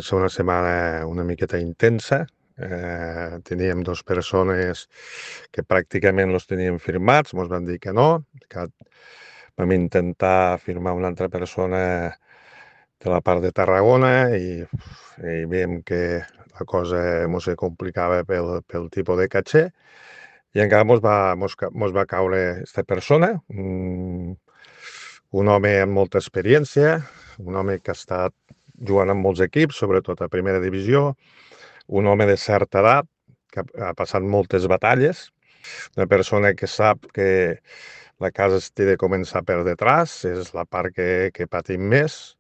Va ser una setmana una miqueta intensa. Teníem 2 persones que pràcticament los teníem firmats, mos van dir que no, que vam intentar firmar una altra persona de la part de Tarragona i veiem que la cosa mos se complicava pel tipus de caché i encara mos va caure esta persona, un home amb molta experiència, un home que ha estat jugant en molts equips, sobretot a primera divisió, un home de certa edat que ha passat moltes batalles, una persona que sap que la casa es té de començar per detrás, és la part que patim més,